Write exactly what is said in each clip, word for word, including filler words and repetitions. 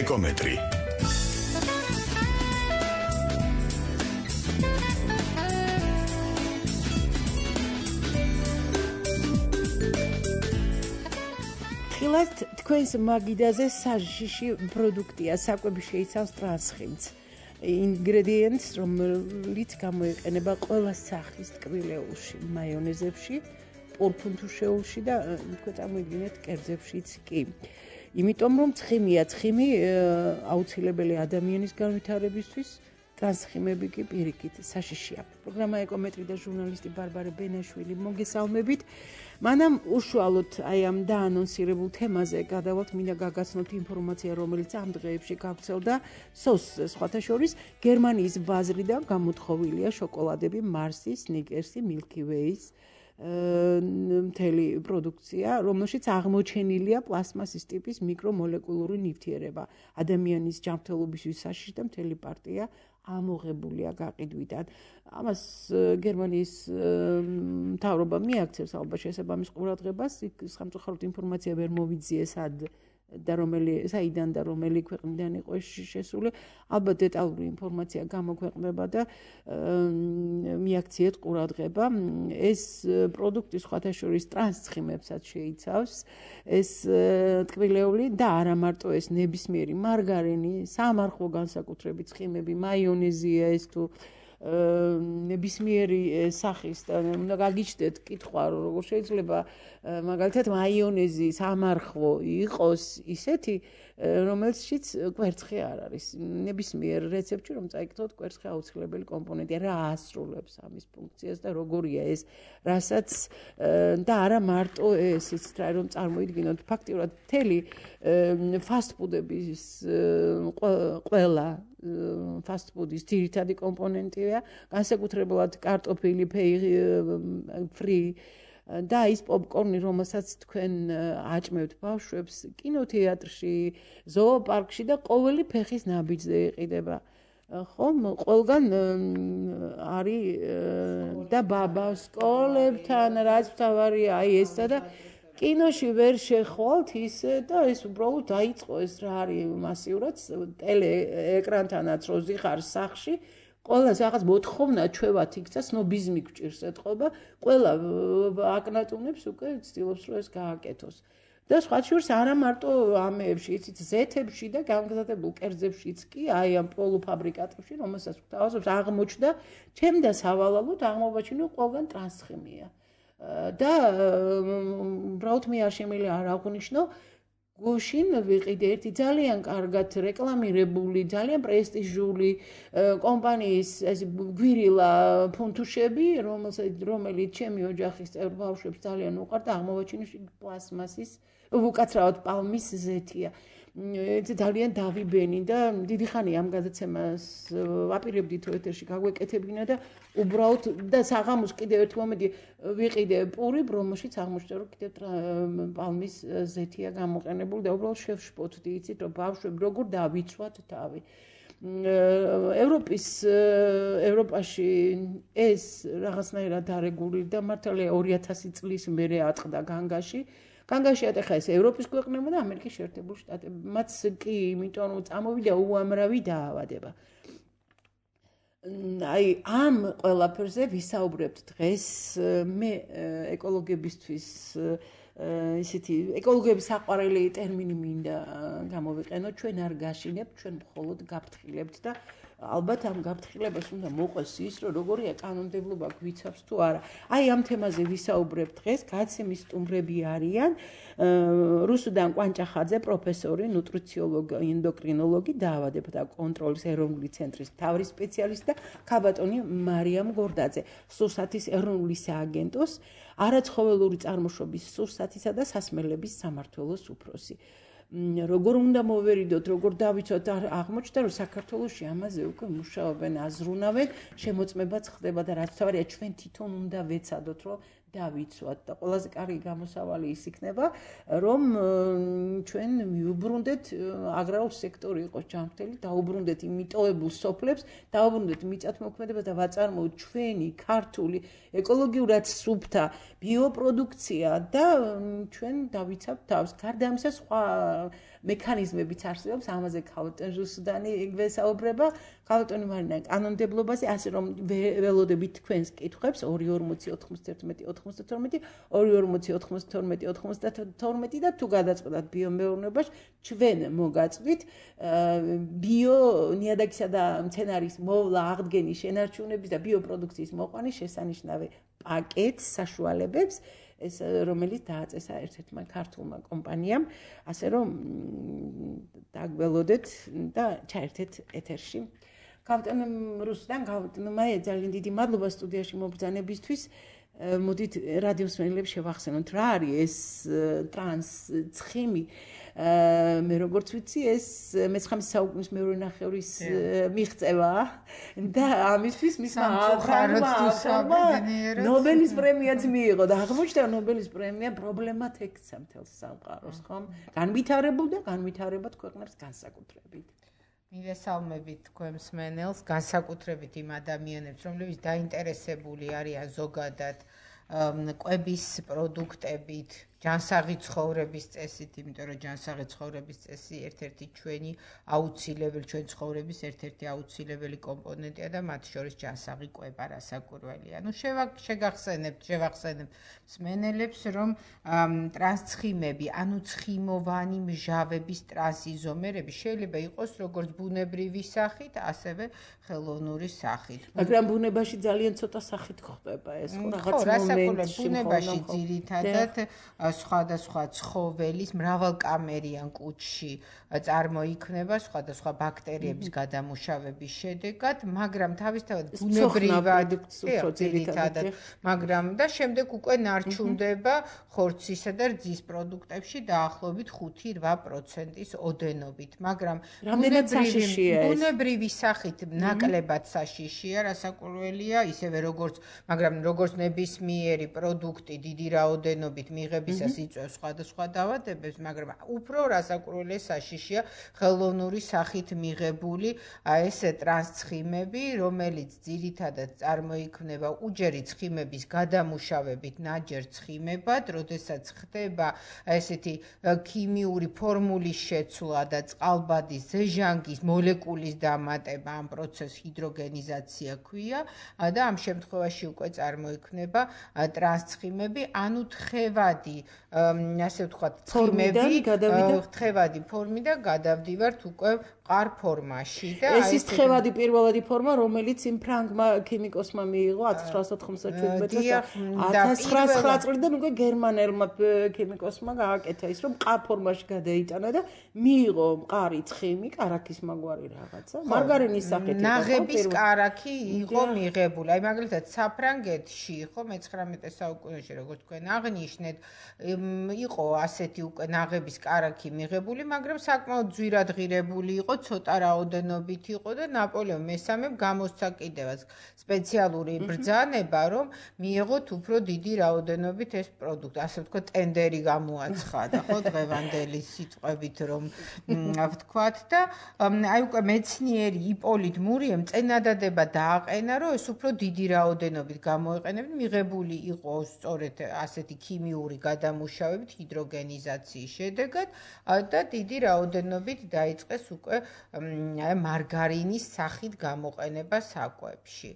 ეკომეტრი. ხილად თქვენს მაგიდაზე საშიში პროდუქტია, საკვები შეიცავს ტრანსხინს. ინგრედიენტს, რომელიც გამოიყენება ყველა სახის ტკბილეულში, მაიონეზებში, პორფუნთუშეულში და თქვენ წარმოიდგინეთ კერძებშიც კი. იმიტომ რომ ცხიმია, ცხიმი აუცილებელი ადამიანის განვითარებისთვის, ტრანსხიმები კი პირიქით საშიშია. პროგრამა ეკომეტრი და ჟურნალისტი ბარბარე ბენაშვილი მოგესალმებით. მანამ უშუალოდ აი ამ დაანონსირებულ თემაზე გადავალთ, მინდა გაგაცნოთ ინფორმაცია, რომელიც ამ დღეებში გავრცელდა სოსზე, სხვათა შორის გერმანიის ბაზრიდან გამოთხოვილია შოკოლადები, მარსის, სნიკერსი, მილკი ვეის მთელი პროდუქცია, რომელშიც აღმოჩენილია პლასმასის ტიპის მიკრომოლეკულური ნივთიერება. ადამიანის ჯანმრთელობისთვის საშიში და მთელი პარტია ამოღებულია გაყიდვიდან. ამას გერმანიის მთავრობა მიაქცევს ალბათ შესაბამის ყურადღებას, სამწუხაროდ ინფორმაცია ვერ მოვიძიეს სად და რომელი საიდან და რომელი ქვეყნიდან იყო შესული. ალბათ დეტალური ინფორმაცია გამოქვეყნდება და მიაქციეთ ყურადღება. ეს პროდუქტი სხვათა შორის ტრანსცხიმებსაც შეიცავს. ეს ტკბილეული და არა მარტო ეს ნებისმიერი მარგარინი, სამარხო განსაკუთრებით ცხიმები, მაიონეზია ეს თუ ნებისმიერი სახის და უნდა გაგიჩნდეთ კითხვა, როგორ შეიძლება მაგალითად მაიონეზი სამარხო იყოს ისეთი, რომელშიც კვერცხი არ არის. ნებისმიერ რეცეპტში რომ წაიკითხოთ, კვერცხი აუცილებელი კომპონენტია, რა ასრულებს ამის ფუნქციას და როგორია ეს, რასაც და არა მარტო ეს, იცით რა, რომ წარმოიდგინოთ ფაქტიურად მთელი ფასტფუდების ყველა ფასტფუდის ძირითადი კომპონენტია, განსაკუთრებულად კარტოფილი, ფრი და ის პოპკორნი, რომელსაც თქვენ აჭმევთ ბავშვებს კინოთეატრში, ზოოპარკში და ყოველი ფეხის ნაბიჯზე იყიდება. ხომ, ყველგან არის და ბაბა სკოლებთან, რაც მთავარია, აი ესა და კინოში ვერ შეხვალთ ისე და ეს უბრალოდ დაიწყო ეს რა არის მასიურად ტელეეკრანთანაც რო ზიხარ სახში, ყველას რაღაც მოთხოვნა ჩვევათ იქ და სნობიზმი გვჭირს ეთყობა, ყველა აკნატუნებს უკვე ცდილობს რომ ეს გააკეთოს. და სხვა შორის არა მარტო ამეებში, იცით, ზეთებში და გამგზავრებულ კერძებშიც კი, აი ამ პოლუფაბრიკატებში, რომელსაც გვთავაზობს, აღმოჩნდა, ჩემდა სავალალოდ აღმოვაჩინო ყველგან ტრანსხიმია. და უბრალოდ მე არ შემიძლია არ აღვნიშნო, გუშინ ვიყიდე ერთი ძალიან კარგად რეკლამირებული, ძალიან პრესტიჟული კომპანიის ეს გვირილა ფუნთუშები, რომელიც ჩემი ოჯახის წევრ ბავშვებს ძალიან უყვართ და აღმოვაჩინე პლასმასის, უკაცრავად პალმის ზეთია. ძალიან დავიბენი და დიდი ხანი ამ გადაცემას ვაპირებდი თუ ეთერში გაგვეკეთებინა და უბრალოდ და საღამოს კიდევ ერთ მომენტი ვიყიდე პური, რომელშიც აღმოჩნდა რომ კიდევ პალმის ზეთია გამოყენებული და უბრალოდ შევშფოთდი, იცით რომ ბავშვები როგორ დავიცვათ თავი. ევროპის ევროპაში ეს რაღაცნაირად არეგულირდა, მართალია ორი ათასი წლის მერე ატყდა განგაში. განგაში ატეხა ეს ევროპის ქვეყნებმა და ამერიკის შეერთებული შტატები. მათ კი, იმიტომ რომ წამოვიდა უამრავი დაავადება. აი ამ ყველაფერზე ვისაუბრებთ დღეს. მე ეკოლოგებისთვის ისეთი ეკოლოგების საყვარელი ტერმინი მინდა გამოვიყენო, ჩვენ არ გაშინებთ, ჩვენ მხოლოდ გაფრთხილებთ და ალბათ ამ გაფრთხილებას უნდა მოყვეს ის, რომ როგორია კანონმდებლობა გვიცავს თუ არა. აი ამ თემაზე ვისაუბრებთ დღეს, გადაცემის სტუმრები არიან რუსუდან კვანჭახაძე, პროფესორი, ნუტრიციოლოგი, ენდოკრინოლოგი, დაავადებათა კონტროლის ეროვნული ცენტრის მთავარი სპეციალისტი და ქაბატონი მარიამ გორდაძე, სურსათის ეროვნული სააგენტოს არაცხოველური წარმოშობის სურსათისა და სასმელების სამმართველოს უფროსი. როგორ უნდა მოვერიდოთ, როგორ დავიცოთ, აღმოჩნდა რომ საქართველოში ამაზე უკვე მუშაობენ, აზრუნავენ, შემოწმებაც ხდება და რაც თავარია ჩვენ თვითონ უნდა ვეცადოთ, რომ დავიცვათ და ყველაზე კარგი გამოსავალი ის იქნება, რომ ჩვენ მიუბრუნდეთ აგრარულ სექტორი იყოს ჯანმრთელი, დაუბრუნდეთ იმ მიტოვებულ სოფლებს, დაუბრუნდეთ მიწათმოქმედებას და ვაწარმოოთ ჩვენი ქართული ეკოლოგიურად სუფთა ბიოპროდუქცია და ჩვენ დავიცავთ თავს. გარდა ამისა სხვა მექანიზმებიც არსებობს, ამაზე ქალბატონ ჟუსუდანი გვესაუბრება, ქალბატონი მარინა კანონმდებლობაზე, ასე რომ ველოდებით თქვენს კითხვებს ორი ორმოცი ოთხმოცდაერთმეტი ოთხმოცდათორმეტი ორი ორმოცი ოთხმოცდათორმეტი ოთხმოცდათორმეტი და თუ გადაწყვეტათ ბიომეურნეობაში ჩვენ მოგაწვით ბიო ნიადაგისა და მცენარის მოვლა აღდგენის შენარჩუნების და ბიოპროდუქციის მოყვანის შესანიშნავი პაკეტს საშუალებებს ეს რომელიც დააწესა ერთ-ერთმა ქართულმა კომპანიამ, ასე რომ დაგველოდეთ და ჩაერთეთ ეთერში. ქალბატონ რუსუდან, ქალბატონ მაია, ძალიან დიდი მადლობა სტუდიაში მობრძანებისთვის. მოდით რადიო მსმენელებს შევახსენოთ, რა არის ეს ტრანს ცხიმი. მე როგორც ვიცი, ეს მეცხრამე საუკუნის მეორე ნახევრის მიღწევაა და ამისთვის მისმა ავტორმა ნობელის პრემიაც მიიღო და აღმოჩნდა ნობელის პრემია პრობლემად ექცა მთელს სამყაროს, ხომ? განვითარებულ და განვითარებად ქვეყნებს განსაკუთრებით. მივესალმებით თქვენ მსმენელს, განსაკუთრებით იმ ადამიანებს, რომლებიც დაინტერესებული არიან ზოგადად კვების პროდუქტებით, ჯანსაღი ცხოვრების წესით, იმიტომ რომ ჯანსაღი ცხოვრების წესი ერთ-ერთი ჩვენი აუცილებელი, ჩვენ ცხოვრების ერთ-ერთი აუცილებელი კომპონენტია და მათ შორის ჯანსაღი კვება რასაკვირველია. ნუ შეგახსენებთ, შევახსენებთ მსმენელებს, რომ ტრანსცხიმები, ანუ ცხიმოვანი მჟავების ტრანსიზომერები შეიძლება იყოს როგორც ბუნებრივი სახით, ასევე ხელოვნური სახით. მაგრამ ბუნებაში ძალიან ცოტა სახით ხდება ეს, ხო, რაღაც მომენტში ბუნებაში ძირითადად სხვადასხვა ცხოველის მრავალკამერიან კუჭში წარმოიქმნება სხვადასხვა ბაქტერიების გადამუშავების შედეგად, მაგრამ თავისთავად ბუნებრივად ძირითადად, მაგრამ და შემდეგ უკვე ნარჩუნდება ხორცისა და რძის პროდუქტებში დაახლოებით ხუთი რვა პროცენტის ოდენობით, მაგრამ ბუნებრივი სახით ნაკლებად საშიშია, რასაკვირველია, ისევე როგორც, მაგრამ როგორც ნებისმიერი პროდუქტი დიდი რაოდენობით მიღებისას იწვევს სხვადასხვა დაავადებებს, მაგრამ უფრო რასაკვირველია საშიშია ხელოვნური სახით მიღებული ეს ტრანსცხიმები, რომელიც ძირითადად წარმოიქმნება უჯერი ცხიმების გადამუშავებით ნაჯერ ცხიმებად, როდესაც ხდება ესეთი ქიმიური ფორმულის შეცვლა და წყალბადის ზეჟანგის მოლეკულის დამატება, ამ პროცესს ჰიდროგენიზაცია ქვია და ამ შემთხვევაში უკვე წარმოიქმნება ტრანსცხიმები, ანუ თხევადი, ასე ვთქვათ, ცხიმები, თხევადი ფორმიდან გადავდივართ უკვე მყარ ფორმაში და ეს ის თხევადი პირველადი ფორმა, რომელიც იმ ფრანგმა ქიმიკოსმა მიიღო ათას ცხრაასა ოთხმოცდაშვიდმეტ წელს ათას ცხრაასა წლიდან უკვე გერმანელმა ქიმიკოსმა გააკეთა ის, რომ მყარ ფორმაში გადაიტანა და მიიღო მყარი ცხიმი, კარაქის მაგვარი რაღაცა, მარგარინის სახით იყო. ნაღების კარაქი იყო მიღებული. აი მაგალითად საფრანგეთში ხო მეცხრამეტე საუკუნეში, როგორც თქვენ აღნიშნეთ, იყო ასეთი უკვე ნაღების კარაქი მიღებული, მაგრამ საკმაოდ ძვირად ღირებული იყო, ცოტა რაოდენობით იყო და ნაპოლეონ მესამემ გამოსცა კიდევაც სპეციალური ბრძანება, რომ მიიღოთ უფრო დიდი რაოდენობით ეს პროდუქტი. ასე ვთქვათ, ტენდერი გამოაცხადა, ხო, დღევანდელი სიტყვებით რომ ვთქვათ და აი უკვე მეცნიერი იპოლიტ მურიემ წინადადება დააყენა, რომ ეს უფრო დიდი რაოდენობით გამოეყენებინათ, მიღებული იყო სწორედ ასეთი ქიმიური გადამუშავებით ჰიდროგენიზაციის შედეგად და დიდი რაოდენობით დაიწყეს უკვე მარგარინის სახით გამოყენება საკვებში.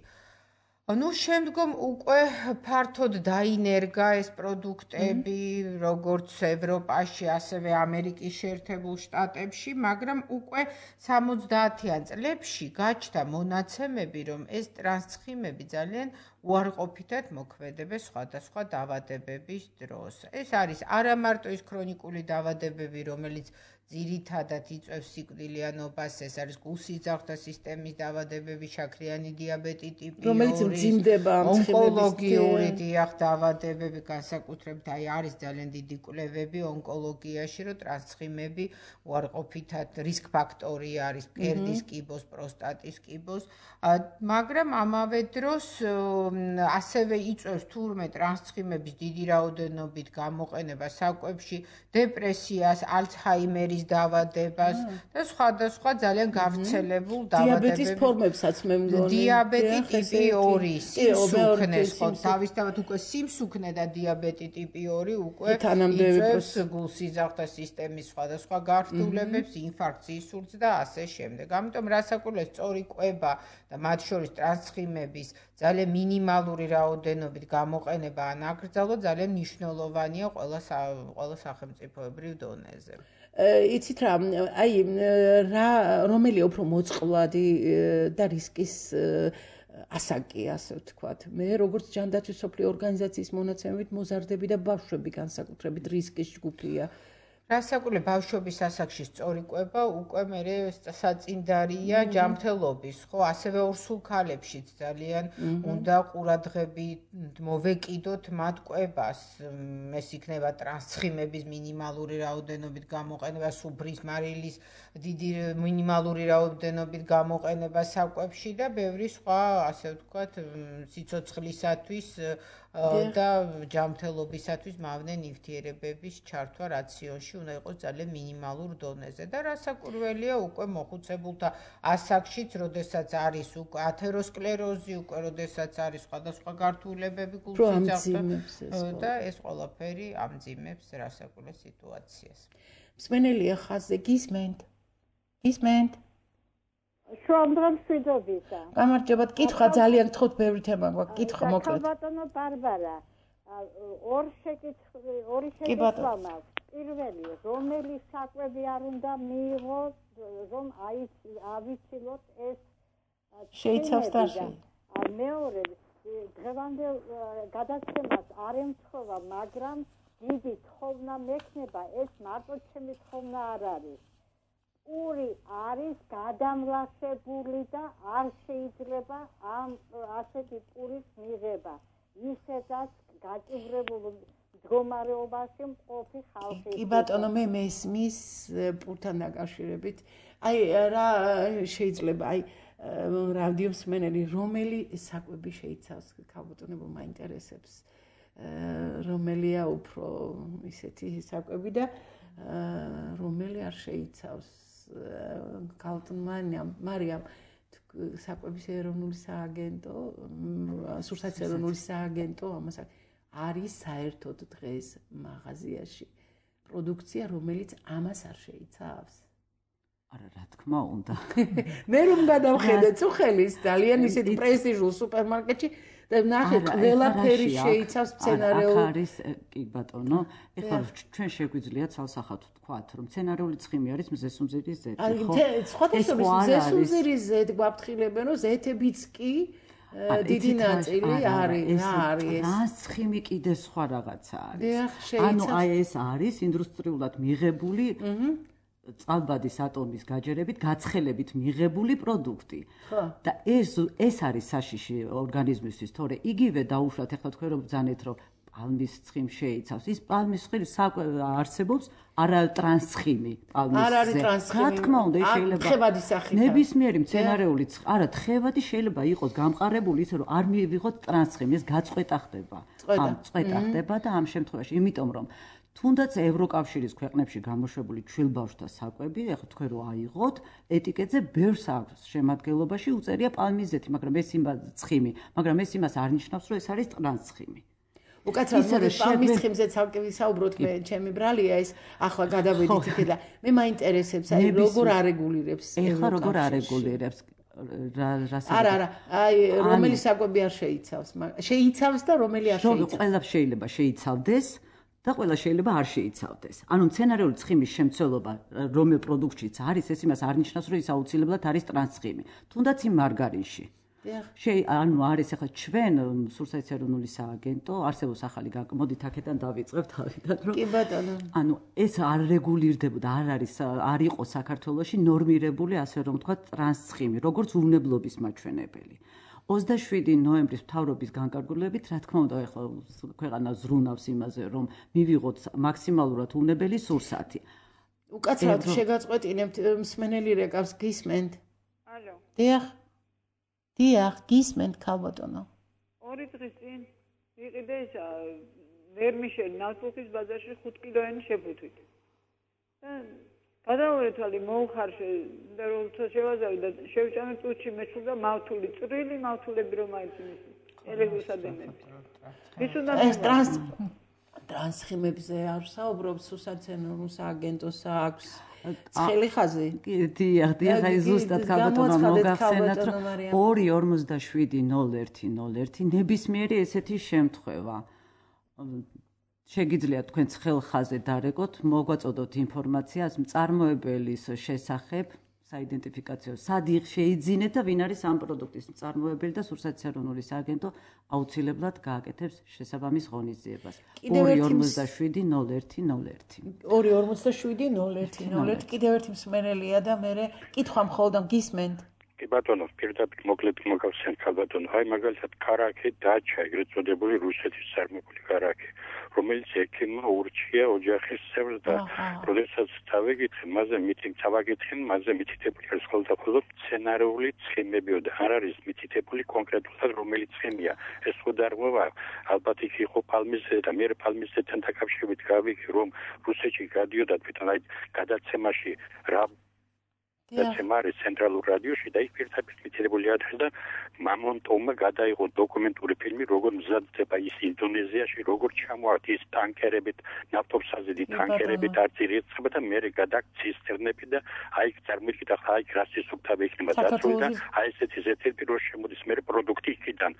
ნუ შემდგომ უკვე ფართოდ დაინერგა ეს პროდუქტები, როგორც ევროპაში, ასევე ამერიკის შეერთებულ შტატებში, მაგრამ უკვე სამოცდაათიან წლებში გაჩნდა მონაცემები, რომ ეს ტრანსცხიმები ძალიან უარყოფითად მოქმედებენ სხვადასხვა დაავადებების დროს. ეს არის არა მარტო ის ქრონიკული დაავადებები, რომელიც ძირითადად იწვევს სიკვდილიანობას, ეს არის გულსიძახთა სისტემის დაავადებები, შაქრიანი დიაბეტი ტიპი ორი, რომელიც მძიმდება ამ ონკოლოგიური დიახ დაავადებები, განსაკუთრებით აი არის ძალიან დიდი კვლევები ონკოლოგიაში, რომ ტრანსცხიმები უარყოფითად რისკ ფაქტორი არის მკერდის კიბოს, პროსტატის კიბოს, მაგრამ ამავე დროს ასევე იწვევს თურმე ტრანსცხიმების დიდი რაოდენობით გამოყენება საკვებში, დეპრესიას, ალცჰაიმერის დაავადებას და სხვადასხვა ძალიან გავრცელებულ დაავადებებს. დიაბეტის ფორმებსაც მე მგონი. დიაბეტი ტიპი ორი, სიმსუქნეს ხო, თავისთავად უკვე სიმსუქნე და დიაბეტი ტიპი ორი უკვე იწვევს გულსიძახთა სისტემის სხვადასხვა გართულებებს, ინფარქტს, ინსულტს და ასე შემდეგ. ამიტომ რასაკურველია სწორი კვება და მათ შორის ტრანსცხიმების ძალიან მინიმალური რაოდენობით გამოყენება ან აკრძალვა ძალიან მნიშვნელოვანია ყველა ყველა სახელმწიფოებრივ დონეზე. იცით რა, აი რა რომელია უფრო მოწყვლადი და რისკის ასაკი, ასე ვთქვათ. მე როგორც ჯანდაცვის სოფლიო ორგანიზაციის მონაცემებით მოზარდები და ბავშვები განსაკუთრებით რისკის ჯგუფია. რასაკურველია ბავშვობის ასაკში სწორი კვება უკვე მერე საწინდარია ჯანმრთელობის, ხო, ასევე ორსულ ქალებშიც ძალიან უნდა ყურადღებით მოვეკიდოთ მათ კვებას. ეს იქნება ტრანსცხიმების მინიმალური რაოდენობით გამოყენება, სუფრის მარილის დიდი მინიმალური რაოდენობით გამოყენება საკვებში და ბევრი სხვა, ასე ვთქვათ, სიცოცხლისათვის და ჯანმრთელობისათვის მავნე ნივთიერებების ჩართვა რაციონში უნდა იყოს ძალიან მინიმალურ დონეზე და რასაკურველია უკვე მოხუცებულთა ასაკშიც, როდესაც არის უკვე ათეროსკლეროზი, უკვე როდესაც არის სხვადასხვა გართულებები გულსიძახთა და ეს ყველაფერი ამძიმებს რასაკურველ სიტუაციას. მსმენელია ხაზზე, გისმენთ? გისმენთ? შუამდგომ მშვიდობისა. გამარჯობათ, კითხვა ძალიან გთხოვთ, ბევრი თემა გვაქვს, კითხვა მოკლედ. ბატონო ბარბარა, ორ შეკითხვა, ორი შეკითხვა მაქვს. პირველი, რომელი საკვები არ უნდა მიიღო, რომ ავიცილოთ ეს შეიცავს თაში. მეორე, დღევანდელ გადაცემას არ ემთხოვა, მაგრამ დიდი თხოვნა მექნება, ეს მარტო ჩემი თხოვნა არ არის. პური არის გადამლაშებული და არ შეიძლება ამ ასეთი პურის მიღება. ისედაც გაჭირებულ მდგომარეობაში მყოფი ხალხი. კი ბატონო, მე მესმის პურთან დაკავშირებით. აი რა შეიძლება, აი რადიო მსმენელი, რომელი საკვები შეიცავს, ქალბატონებო მაინტერესებს. რომელია უფრო ისეთი საკვები და რომელი არ შეიცავს. ქალბატონმა მარიამ საკვების ეროვნული სააგენტო, სურსათის ეროვნული სააგენტო ამას არის საერთოდ დღეს მაღაზიაში პროდუქცია, რომელიც ამას არ შეიცავს. არა, რა თქმა უნდა. მე რომ გადავხედე წუხელის ძალიან ისეთი პრესტიჟულ სუპერმარკეტში და ნახე ყველაფერი შეიცავს სცენარეულ. აქ არის კი ბატონო, ეხლა ჩვენ შეგვიძლია ცალსახად ვთქვათ, რომ სცენარეული ცხიმი არის მზესუმზირის ზეთი, ხო? სხვადასხვა მზესუმზირის ზეთი გვაფრთხილებენ, რომ ზეთებიც კი დიდი ნაწილი არის, რა არის ეს? ტრანსცხიმი კიდე სხვა რაღაცა არის. ანუ აი ეს არის ინდუსტრიულად მიღებული წყალბადის ატომის გაჯერებით გაცხელებით მიღებული პროდუქტი. და ეს ეს არის საშიში ორგანიზმისთვის, თორე იგივე დაუშვათ, ეხლა თქვენ რომ ბრძანეთ, რომ პალმის ცხიმი შეიცავს. ის პალმის ცხიმი არსებობს არა ტრანსცხიმი პალმის. არ არის ტრანსცხიმი. რა თქმა უნდა, შეიძლება თხევადი სახით. ნებისმიერი მცენარეული არა, თხევადი შეიძლება იყოს გამყარებული ისე, რომ არ მიიღოთ ტრანსცხიმი, ეს გაწყვეტა ხდება. ამ წყვეტა ხდება და ამ შემთხვევაში, იმიტომ რომ თუნდაც ევროკავშირის ქვეყნებში გამოშვებული ჩვილბავშვთა საკვები, ეხლა თქვენ რო აიღოთ, ეტიკეტზე ბევრს აქვს შემადგენლობაში უწერია პალმის ზეთი, მაგრამ ეს იმას ცხიმი, მაგრამ ეს იმას არ ნიშნავს, რომ ეს არის ტრანსცხიმი. უკაცრავად პალმის ცხიმზე ცალკე ვისაუბროთ, მე ჩემი ბრალია ეს ახლა გადავედით იქ და მე მაინტერესებს, აი როგორ არეგულირებს ეხლა როგორ არეგულირებს რა რას არა არა აი რომელი საკვები არ შეიცავს, შეიცავს და რომელი არ შეიცავს. ყველა შეიძლება შეიცავდეს და ყველა შეიძლება არ შეიცავდეს. ანუ მცენარეული ცხიმის შემცველობა რომელ პროდუქტშიც არის, ეს იმას არ ნიშნავს, რომ ის აუცილებლად არის ტრანსცხიმი. თუნდაც იმ მარგარინში. შეი ანუ არის ახლა ჩვენ სურსათის ეროვნული სააგენტო არსებობს ახალი მოდით აქედან დავიწყებთ თავიდან რომ კი ბატონო ანუ ეს არ რეგულირდებოდა არ არის არ იყო საქართველოში ნორმირებული ასე რომ ვთქვათ ტრანსცხიმი როგორც უვნებლობის მაჩვენებელი ოცდაშვიდი ნოემბრის მთავრობის განკარგულებით რა თქმა უნდა ახლა ქვეყანა ზრუნავს იმაზე რომ მივიღოთ მაქსიმალურად უვნებელი სურსათი უკაცრავად შეგაწყვეტინებთ მსმენელი რეკავს გისმენთ ალო დიახ დიახ გისმენთ ქალბატონო ორი დღის წინ იყიდე ისა ვერმიშელი ნავთობის ბაზარში ხუთ კილოიანი შეფუთვით და გადავერთალი მოუხარშე და რომ შევაზავი და შევჭამე წუთში მეჩვდა მავთული წვრილი მავთულები რომ აიწინეს ელექტროსადენები ის უნდა ეს ტრანს ტრანსხიმებზე არ საუბრობ სურსათის ეროვნულ სააგენტოს აქვს ცხელი ხაზი კი დიახ დიახ აი ზუსტად ქალბატონო მოგახსენათ რომ ორი ორმოცდაშვიდი ნოლ ერთი ნოლ ერთი ნებისმიერი ესეთი შემთხვევა შეგიძლიათ თქვენ ცხელ ხაზზე დარეკოთ მოგვაწოდოთ ინფორმაციას მწარმოებელის შესახებ საიდენტიფიკაციო სად შეიძინეთ და ვინ არის ამ პროდუქტის მწარმოებელი და სურსათის ეროვნული სააგენტო აუცილებლად გააკეთებს შესაბამის ღონისძიებას ორი ორმოცდაშვიდი ნოლ ერთი ნოლ ერთი ორი ორმოცდაშვიდი ნოლ ერთი ნოლ ერთი კიდევ ერთი მსმენელია და მე კითხვა მხოლოდ გისმენთ კი ბატონო პირდაპირ მოკლედ მოგახსენეთ ქალბატონო აი მაგალითად კარაქე დაჩა ეგრეთ წოდებული რუსეთის წარმომებული კარაქე რომელიც ექიმმა ურჩია ოჯახის წევრს და როდესაც დავეკითხე მასზე მითი დავაკითხე მასზე მითითებული არის ხოლმე ხოლმე სცენარიული ცხიმებიო და არ არის მითითებული კონკრეტულად რომელი ცხიმია ეს ხო დარღვევა ალბათ იქ იყო პალმის და მე პალმისთან დაკავშირებით გავიქი რომ რუსეთში გადიოდა თვითონ აი გადაცემაში რა დაცემარი ცენტრალურ რადიოში და იქ პირდაპირ მითითებული არის და მამონტოვმა გადაიღო დოკუმენტური ფილმი როგორ მზადდება ის ინდონეზიაში როგორ ჩამოაქვს ის ტანკერებით ნავთობსაზედი ტანკერებით არწირიცხება და მე გადაქცისტერნები და აი წარმოვიდგინეთ ახლა აი რასის უკთავი იქნება დაწული და აი ესეთი ზეთერ პირველ შემოდის მე პროდუქტი იქიდან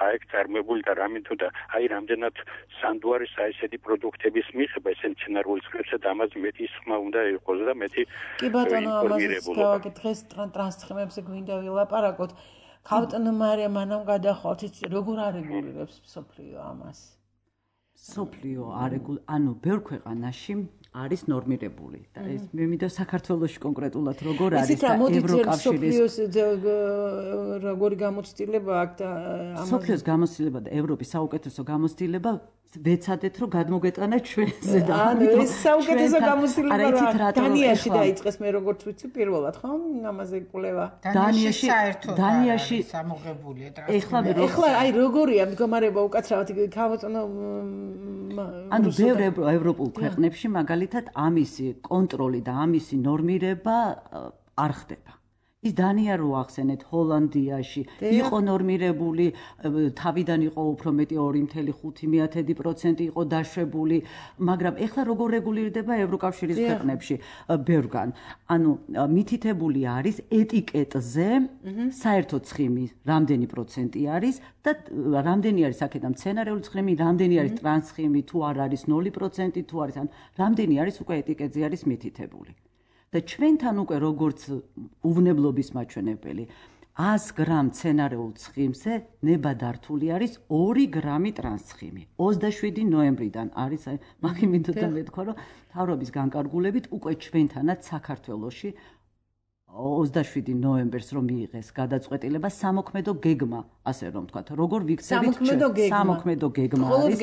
აი წარმოვებული და რამითო და აი რამდენად სანდუარის აი ესეთი პროდუქტების მიღება ეს სცენარული სკრიპტსა და ამაზე მეტი ისხმა უნდა იყოს და მეტი კი ბატონო ამაზე დღეს ტრანსცხიმებზე გვინდა ვილაპარაკოთ ქალბატონო მარია მანამ გადახვალთ როგორ არეგულირებს მსოფლიო ამას მსოფლიო არეგულ ანუ ბევრ ქვეყანაში არის ნორმირებული და ეს მე მინდა საქართველოში კონკრეტულად როგორ არის და ევროკავშირის როგორი გამოცდილება აქვს და მსოფლიოს გამოცდილება და ევროპის საუკეთესო გამოცდილება ვეცადეთ რომ გადმოგეტანა ჩვენზე და ანუ ეს საუკეთესო გამოცდილება დანიაში დაიწყეს მე როგორც ვიცი პირველად ხო ამაზე კვლევა დანიაში საერთოდ დანიაში სამოღებულია ეხლა ეხლა აი როგორია მდგომარეობა უკაცრავად ქალბატონო ანუ ბევრ ევროპულ ქვეყნებში მაგალითად ამისი კონტროლი და ამისი ნორმირება არ ხდება ის დანია რო ახსენეთ ჰოლანდიაში იყო ნორმირებული თავიდან იყო უფრო მეტი ორი წუთი ხუთი პროცენტი იყო დაშვებული მაგრამ ეხლა როგორ რეგულირდება ევროკავშირის ქვეყნებში ბევრგან ანუ მითითებული არის ეტიკეტზე საერთო ცხიმი რამდენი პროცენტი არის და რამდენი არის აქედან მცენარეული ცხიმი რამდენი არის ტრანსცხიმი თუ არ არის ნული პროცენტი თუ არის ან რამდენი არის უკვე ეტიკეტზე არის მითითებული და ჩვენთან უკვე როგორც უვნებლობის მაჩვენებელი ას გრამ მცენარეულ ცხიმზე ნებადართული არის ორი გრამი ტრანსცხიმი ოცდაშვიდი ნოემბრიდან არის აი მაგი მინდოდა მეთქვა რომ მთავრობის განკარგულებით უკვე ჩვენთანაც საქართველოში ოცდაშვიდი ნოემბერს რომ მიიღეს გადაწყვეტილება სამოქმედო გეგმა ასე რომ ვთქვათ როგორ ვიქცევით სამოქმედო გეგმა არის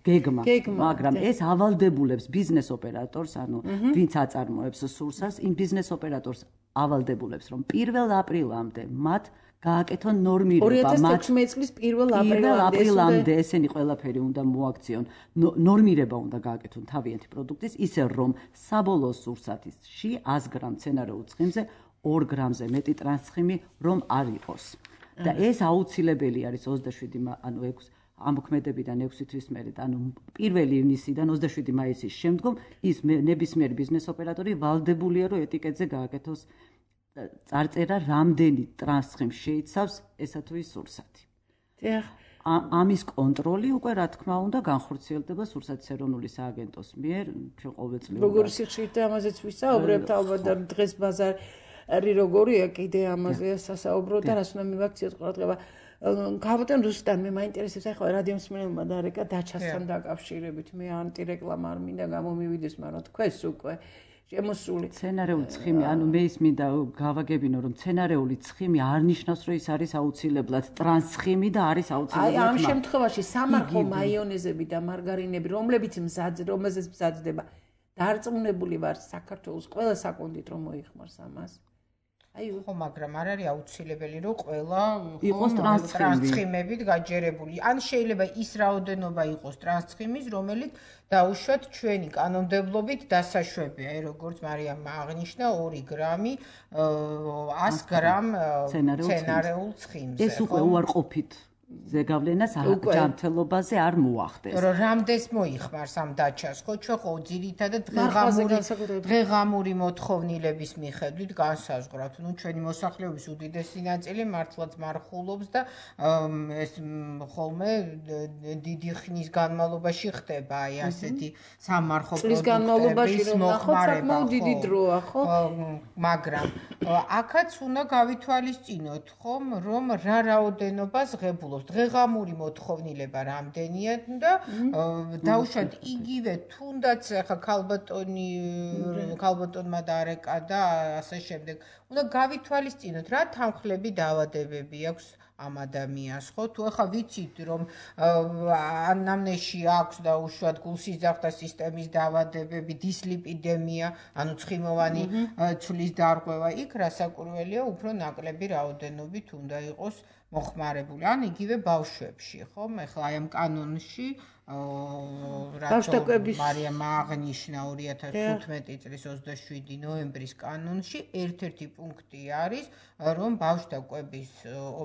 გეგმა მაგრამ ეს ავალდებულებს ბიზნეს ოპერატორს ანუ ვინც აწარმოებს სურსას იმ ბიზნეს ოპერატორს ავალდებულებს რომ პირველ აპრილამდე მათ გააკეთონ ნორმირება ორი ათას თექვსმეტი წლის პირველ აპრილამდე ესენი ყველაფერი უნდა მოაქციონ ნორმირება უნდა გააკეთონ თავიანთი პროდუქტის ისე რომ საბოლოო სურსათში ას გრამ მცენარეულ ცხიმზე ორ გრამზე მეტი ტრანსცხიმი რომ არ იყოს და ეს აუცილებელი არის ოცდაშვიდი ანუ ექვსი ამოქმედებიდან ექვსი თვის მერე ანუ პირველი ივნისიდან ოცდაშვიდი მაისის შემდგომ ის ნებისმიერი ბიზნეს ოპერატორი ვალდებულია რომ ეტიკეტზე გააკეთოს წარწერა რამდენი ტრანსცხიმს შეიცავს ესა თუ ის სურსათი. დიახ. ამის კონტროლი უკვე რა თქმა უნდა განხორციელდება სურსათის ეროვნული სააგენტოს მიერ ჩვენ ყოველწლიურად. როგორი სიხშირით ამაზეც ვისაუბრებთ ალბათ და დღეს ბაზარ არი როგორია კიდე ამაზე სასაუბრო და რას უნდა მივაქციოთ ყურადღება. Ქაბატონ რუსტან მე მაინტერესებს ახლა რადიო მსმენელმა დარეკა დაჩასთან დაკავშირებით მე ანტირეკლამა არ მინდა გამომივიდეს მაგრამ თქვენს უკვე შემოსული სცენარეული ცხიმი ანუ მე ის მინდა გავაგებინო რომ სცენარეული ცხიმი არ ნიშნავს რომ ის არის აუცილებლად ტრანსცხიმი და არის აუცილებლად აი ამ შემთხვევაში სამარხო მაიონეზები და მარგარინები რომლებიც მზად რომელზეც მზადდება დარწმუნებული ვარ საქართველოს ყველა საკონდით რომ მოიხმარს ამას აი ხო მაგრამ არ არის აუცილებელი რომ ყველა იყოს ტრანსცხიმებით გაჯერებული ან შეიძლება ის რაოდენობა იყოს ტრანსცხიმის რომელიც დაუშვათ ჩვენი კანონმდებლობით დასაშვებია როგორც მარიამმა აღნიშნა ორი გრამი ას გრამ სცენარეულ ცხიმზე ეს უკვე უარყოფით ზეგავლენას ჯანმრთელობაზე არ მოახდეს. რომ რამდენს მოიხმარს ამ დაჩას, ხო ჩვენ ხო ძირითადად დღეღამური დღეღამური მოთხოვნილების მიხედვით განსაზღვრავთ. ნუ ჩვენი მოსახლეობის უდიდესი ნაწილი მართლაც მარხულობს და ეს ხოლმე დიდი ხნის განმავლობაში ხდება აი ასეთი სამარხო პროდუქტების მოხმარება. დიდი დროა, ხო? მაგრამ აქაც უნდა გავითვალისწინოთ, ხომ, რომ რა რაოდენობას ღებულობს დღეღამური მოთხოვნილება რამდენია და დაუშვათ იგივე თუნდაც ახლა ქალბატონი ქალბატონმა დარეკა და ასე შემდეგ უნდა გავითვალისწინოთ რა თანხლები დაავადებები აქვს ამ ადამიანს ხო თუ ახლა ვიცით რომ ანამნეზში აქვს და უშუალოდ გულსიძახთა სისტემის დაავადებები დისლიპიდემია ანუ ცხიმოვანი ცვლის დარღვევა იქ რასაკურველია უფრო ნაკლები რაოდენობით უნდა იყოს მოხმარებული ან იგივე ბავშვებში ხო ახლა აი ამ კანონში ბავშვების მარიამმა აღნიშნა ორი ათას თხუთმეტი წლის ოცდაშვიდი ნოემბრის კანონში ერთ-ერთი პუნქტი არის რომ ბავშვთა კვების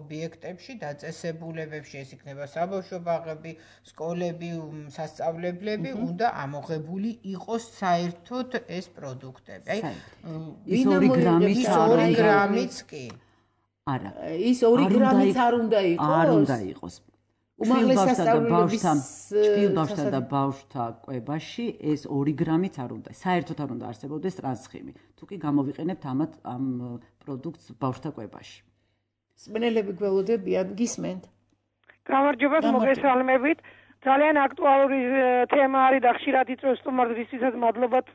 ობიექტებში დაწესებულებებში ეს იქნება საბავშვო ბაღები, სკოლები, სასწავლებლები უნდა ამოღებული იყოს საერთოდ ეს პროდუქტები. აი ის ორი გრამიც კი არა ის ორი გრამიც არ უნდა იყოს არ უნდა იყოს უმაღლეს სასწავლებლების ჩვილბავშვთა და ბავშვთა კვებაში ეს ორი გრამიც არ უნდა საერთოდ არ უნდა არსებობდეს ტრანსცხიმი თუ კი გამოვიყენებთ ამათ ამ პროდუქტს ბავშვთა კვებაში მსმენელები გველოდებიან გისმენთ გამარჯობა მოგესალმებით ძალიან აქტუალური თემა არის და ხშირად იწვევს სტუმარისთვისაც მადლობად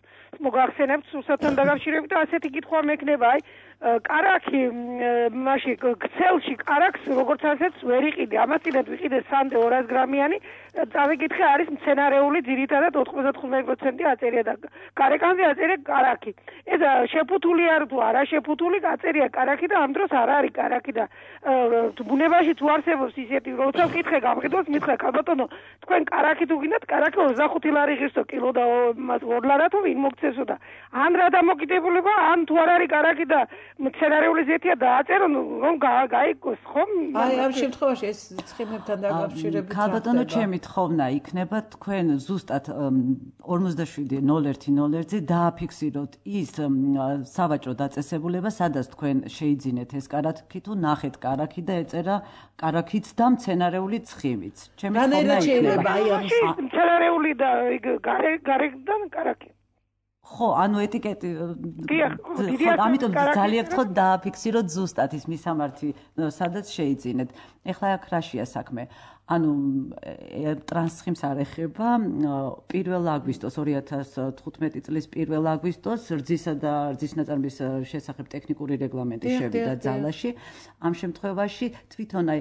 მოგახსენებთ სურსათთან დაკავშირებით და ასეთი კითხვა მექნება აი კარაქი მაშინ ქსელში კარაქს როგორც ასეც ვერ იყიდე ამას წინათ ვიყიდე სამდე ორას გრამიანი წავიკითხე არის მცენარეული ძირითადად ოთხმოცდათხმეტ პროცენტი აწერია და გარეკანზე აწერია კარაქი ეს შეფუთული არ თუ არა შეფუთული აწერია კარაქი და ამ დროს არ არის კარაქი და ბუნებაში თუ არსებობს ისეთი როცა ვკითხე გამყიდოს მითხრა ქალბატონო თქვენ კარაქი თუ გინდათ კარაქი ოცდახუთი ლარი ღირსო კილო და ორ ლარათო ვინ მოგცესო და ან რა დამოკიდებულება ან თუ არ არის კარაქი და მცენარეული ზეთია დააწერონ რომ გაიგოს ხომ აი ამ შემთხვევაში ეს ცხიმებთან დაკავშირებით ქალბატონო ჩემი თხოვნა იქნება თქვენ ზუსტად ორმოცდაშვიდი ნოლ ერთი ნოლ ერთზე დააფიქსიროთ ის სავაჭრო დაწესებულება სადაც თქვენ შეიძინეთ ეს კარაქი თუ ნახეთ კარაქი და ეწერა კარაქიც და მცენარეული ცხიმიც ჩემი თხოვნა იქნება აი ამ მცენარეული და გარეგან კარაქი ხო, ანუ ეტიკეტი ხო, ამიტომ ძალიან ვთქვათ დააფიქსიროთ ზუსტად ის მისამართი, სადაც შეიძინეთ. ეხლა აქ რაშია საქმე? ანუ ტრანსცხიმს არ ეხება პირველ აგვისტოს ორი ათას თხუთმეტი წლის პირველ აგვისტოს რძისა და რძის ნაწარმის შესახებ ტექნიკური რეგლამენტი შევიდა ძალაში. ამ შემთხვევაში თვითონ აი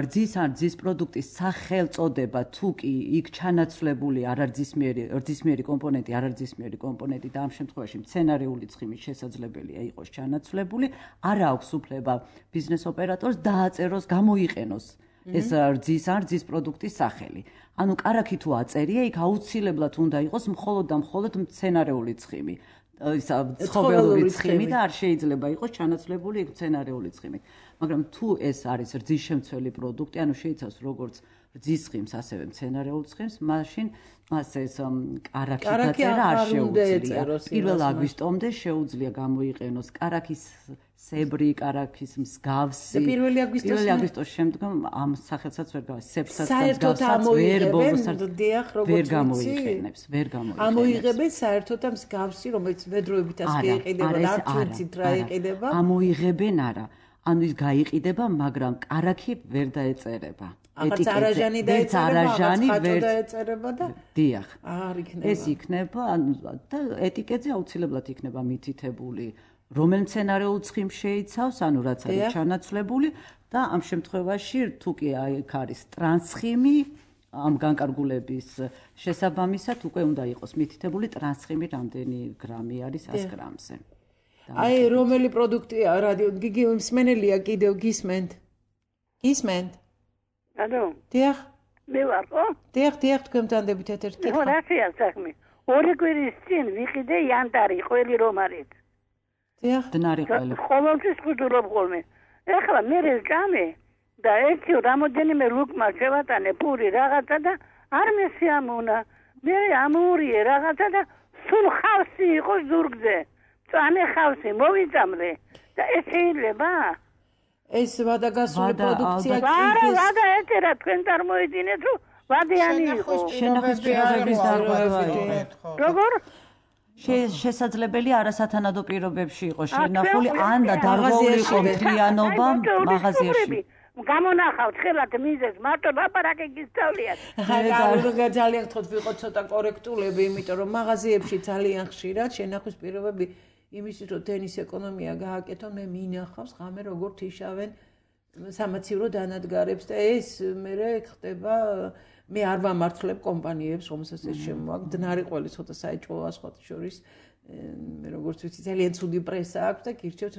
რძის ან რძის პროდუქტის სახელწოდება თუ კი იქ ჩანაცვლებული არარძისმიერი რძისმიერი კომპონენტი არარძისმიერი კომპონენტი და ამ შემთხვევაში მცენარეული ცხიმის შესაძლებელია იყოს ჩანაცვლებული, არ აქვს უფლება ბიზნეს ოპერატორს დააწეროს, გამოიყენოს ეს რძის ან რძის პროდუქტის სახელი. ანუ კარაქი თუ აწერია, იქ აუცილებლად უნდა იყოს მხოლოდ და მხოლოდ მცენარეული ცხიმი. ისა ცხოველური ცხიმი და არ შეიძლება იყოს ჩანაცვლებული იქ მცენარეული ცხიმი. მაგრამ თუ ეს არის რძის შემცველი პროდუქტი, ანუ შეიცავს როგორც რძის ცხიმს, ასევე მცენარეულ ცხიმს, მაშინ მას ეს კარაქი დაწერა არ შეუძლია. პირველ აგვისტომდე შეუძლია გამოიყენოს კარაქის სებრი კარაქის მსგავსი პირველი აგვისტოს აგვისტოს შემდგომ ამ სახელსაც ვერ გავას სებრსაც მსგავსად ვერ ბოლოსად ვერ გამოიყენებს ვერ გამოიყენებს ამოიღებენ საერთოდ ამ მსგავსი რომელიც ვედროებით ასე იყიდება და არ ვიცით რა იყიდება ამოიღებენ არა ანუ ის გაიყიდება მაგრამ კარაქი ვერ დაეწერება ეტიკეტზე არაჟანი დაეწერება ვერ დაეწერება და დიახ არ იქნება ეს იქნება ანუ და ეტიკეტზე აუცილებლად იქნება მითითებული რომელ მცენარეულ ცხიმს შეიცავს, ანუ რაც არის ჩანაცვლებული და ამ შემთხვევაში თუ კი აქ არის ტრანსხიმი, ამ განკარგულების შესაბამისად უკვე უნდა იყოს მითითებული ტრანსხიმი რამდენი გრამი არის ას გრამზე. აი რომელი პროდუქტია რადიო გიგი მსმენელია კიდევ გისმენთ? გისმენთ? ანუ? დიახ. მე ვარ, ხო? დიახ, დიახ, თქვენთან ერთად კითხვა. ხო, რასია საქმე? ორი კვირის წინ ვიყიდე იანტარი ყველი რომარით. დიახ, დნარი ყველი. ყოველთვის ხუდურობ ხოლმე. ეხლა მე რეჭამე და ერთი რამოდენიმე ლუკმა შევატანე პური რაღაცა და არ მესიამონა. მე ამურიე რაღაცა და სულ ხავსი იყო ზურგზე. წამე ხავსი მოვიწამრე და ეს შეიძლება? ეს ვადაგასული პროდუქცია არა, ვადა ეწერა თქვენ წარმოიდგინეთ რომ ვადიანი იყო. შენახვის პირობების დარღვევა. როგორ? შესაძლებელი არასათანადო პირობებში იყო შენახული ან და დარღვეული იყო მთლიანობა მაღაზიაში. გამონახავთ ხელად მიზეს მარტო ლაპარაკი გისწავლიათ. რა ძალიან გთხოვთ ვიყოთ ცოტა კორექტულები, იმიტომ რომ მაღაზიებში ძალიან ხშირად შენახვის პირობები იმისთვის რომ თენის ეკონომია გააკეთონ მე მინახავს ღამე როგორ თიშავენ სამაცივრო დანადგარებს და ეს მე ხდება მე არ ვამართლებ კომპანიებს რომელსაც ეს შემოაქვს დნარი ყველი ცოტა საეჭვოა სხვათა შორის მე როგორც ვიცი ძალიან ცუდი პრესა აქვს და გირჩევთ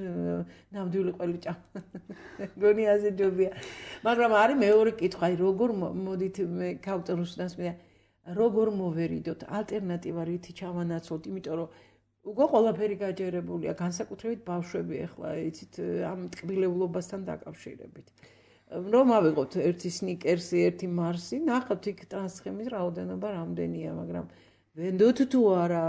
ნამდვილი ყველი ჭამა გონი ასე ჯობია მაგრამ არის მეორე კითხვა აი როგორ მოდით მე ქავტორუსდანს მე როგორ მოვერიდოთ ალტერნატივა რითი ჩავანაცვლოთ იმიტომ რომ უკვე ყველაფერი გაჯერებულია განსაკუთრებით ბავშვები ახლა იცით ამ ტკბილებლობასთან დაკავშირებით რომ ავიღოთ ერთი სნიკერსი, ერთი მარსი, ნახავთ იქ ტრანსხემის რაოდენობა რამდენია, მაგრამ ვენდოთ თუ არა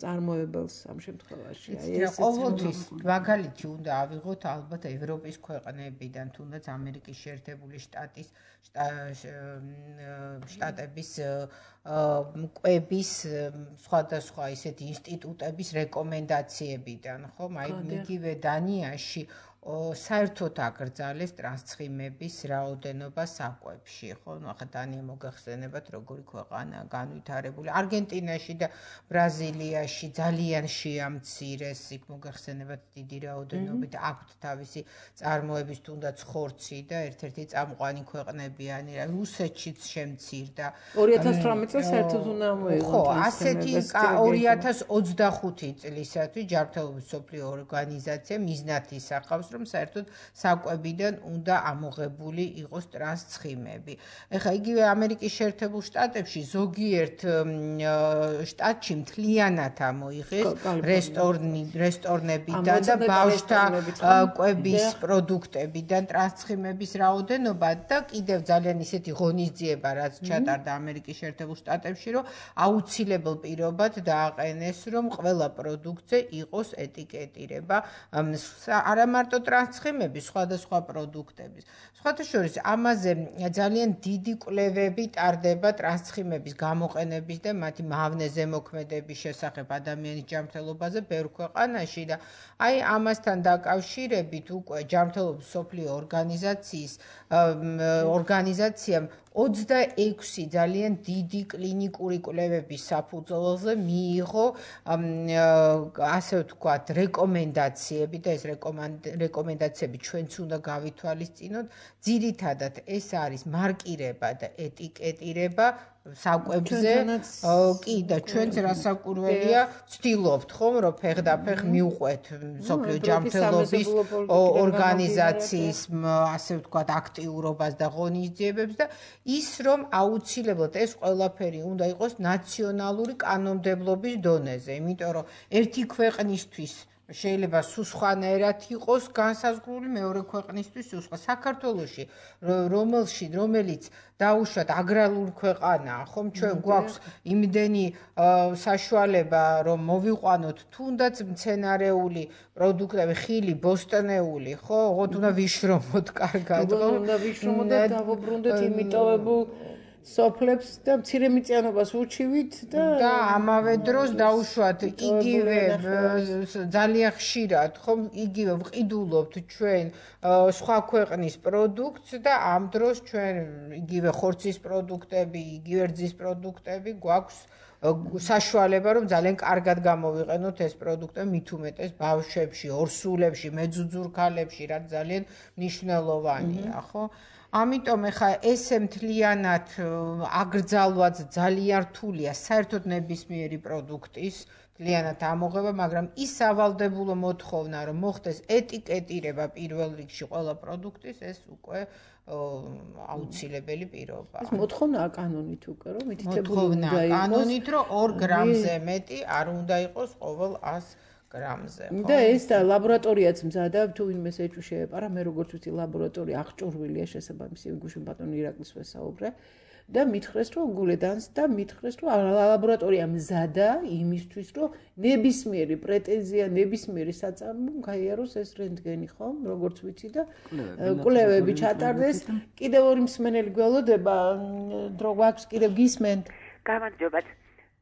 წარმოებელს ამ შემთხვევაში. აი ეს ყოველთვის მაგალითი უნდა ავიღოთ ალბათ ევროპის ქვეყნებიდან, თუნდაც ამერიკის შეერთებული შტატის შტატების კვების სხვადასხვა ისეთი ინსტიტუტების რეკომენდაციებიდან, ხო? აი მიგივე დანიაში საერთოდ აკრძალეს ტრანსცხიმების რაოდენობა საკვებში, ხო? ნუ ახლა დანია მოგახსენებათ როგორი ქვეყანაა განვითარებული. არგენტინაში და ბრაზილიაში ძალიან შეამცირეს, იქ მოგახსენებათ დიდი რაოდენობით აქვთ თავისი წარმოების თუნდაც ხორცი და ერთ-ერთი წამყვანი ქვეყნებიანი, რუსეთშიც შემცირდა. ორი ათას თვრამეტ წელს საერთოდ უნდა მოიღო. ხო, ასეთი ორი ათას ოცდახუთი წლისათვის ჯანმრთელობის მსოფლიო ორგანიზაცია მიზნად ისახავს რომ საერთოდ საკვებიდან უნდა ამოღებული იყოს ტრანსცხიმები. ეხლა იგივე ამერიკის შეერთებულ შტატებში ზოგიერთ შტატში მთლიანად ამოიღეს რესტორნებიდან და ბავშვთა კვების პროდუქტებიდან ტრანსცხიმების რაოდენობა და კიდევ ძალიან ისეთი ღონისძიება რაც ჩატარდა ამერიკის შეერთებულ შტატებში რომ აუცილებელ პირობად დააყენეს რომ ყველა პროდუქტზე იყოს ეტიკეტირება არა მარტო ტრანსცხიმების სხვადასხვა პროდუქტების. სხვათა შორის ამაზე ძალიან დიდი კვლევები ტარდება ტრანსცხიმების გამოყენების და მათი მავნე ზემოქმედების შესახებ ადამიანის ჯანმრთელობაზე ბევრ ქვეყანაში და აი ამასთან დაკავშირებით უკვე ჯანმრთელობის მსოფლიო ორგანიზაციის ორგანიზაციამ ოცდაექვსი ძალიან დიდი კლინიკური კვლევების საფუძველზე მიიღო ასე ვთქვათ რეკომენდაციები და ეს რეკომენდაციები ჩვენც უნდა გავითვალისწინოთ ძირითადად ეს არის მარკირება და ეტიკეტირება საკვებზე კი და ჩვენც რასაკურველია ვცდილობთ ხომ რომ ფეხდაფეხ მიუყვეთ მსოფლიო ჯანმრთელობის ორგანიზაციის ასე ვთქვათ აქტიურობას და ღონისძიებებს და ის რომ აუცილებლად ეს ყველაფერი უნდა იყოს ნაციონალური კანონმდებლობის დონეზე იმიტომ რომ ერთი ქვეყნისთვის შეიძლება სულ სხვანაირად იყოს განსაზღვრული მეორე ქვეყნისთვის სხვა საქართველოში რომელში რომელიც დაუშვათ აგრარული ქვეყანაა ხომ ჩვენ გვაქვს იმდენი საშუალება რომ მოვიყვანოთ თუნდაც მცენარეული პროდუქტები ხილი ბოსტნეული ხო ოღონდ უნდა ვიშრომოთ კარგად ხო უნდა ვიშრომოთ და დავუბრუნდეთ იმიტოვებულ სოფლებს და მცირემიწიანობას უჩივით და და ამავე დროს დაუშვათ იგივე ძალიან ხშირად ხომ იგივე ვყიდულობთ ჩვენ სხვა ქვეყნის პროდუქტს და ამ დროს ჩვენ იგივე ხორცის პროდუქტები, იგივე რძის პროდუქტები გვაქვს საშუალება რომ ძალიან კარგად გამოვიყენოთ ეს პროდუქტები მით უმეტეს ბავშვებში, ორსულებში, მეძუძურ ქალებში, რაც ძალიან მნიშვნელოვანია, ხო? ამიტომ ეხა ესე მთლიანად აკრძალვაც ძალიან რთულია საერთოდ ნებისმიერი პროდუქტის მთლიანად ამოღება, მაგრამ ის სავალდებულო მოთხოვნა რომ მოხდეს ეტიკეტირება პირველ რიგში ყველა პროდუქტის ეს უკვე აუცილებელი პირობაა. ეს მოთხოვნა კანონით უკვე რომ მითითებული უნდა იყოს. კანონით რომ ორ გრამზე მეტი არ უნდა იყოს ყოველ ას გრამზე. და ეს და ლაბორატორიაც მზადა თუ ვინმე ეჭვი შეეპარა, მე როგორც ვიცი ლაბორატორია აღჭურვილია შესაბამისი გუშინ ბატონი ირაკლის ვესაუბრე და მითხრეს რომ გულედანს და მითხრეს რომ ლაბორატორია მზადა იმისთვის რომ ნებისმიერი პრეტენზია, ნებისმიერი საწარმო გაიაროს ეს რენტგენი ხომ, როგორც ვიცი და კვლევები ჩატარდეს. კიდევ ორი მსმენელი გველოდება, დრო გვაქვს კიდევ გისმენთ. გამარჯობა.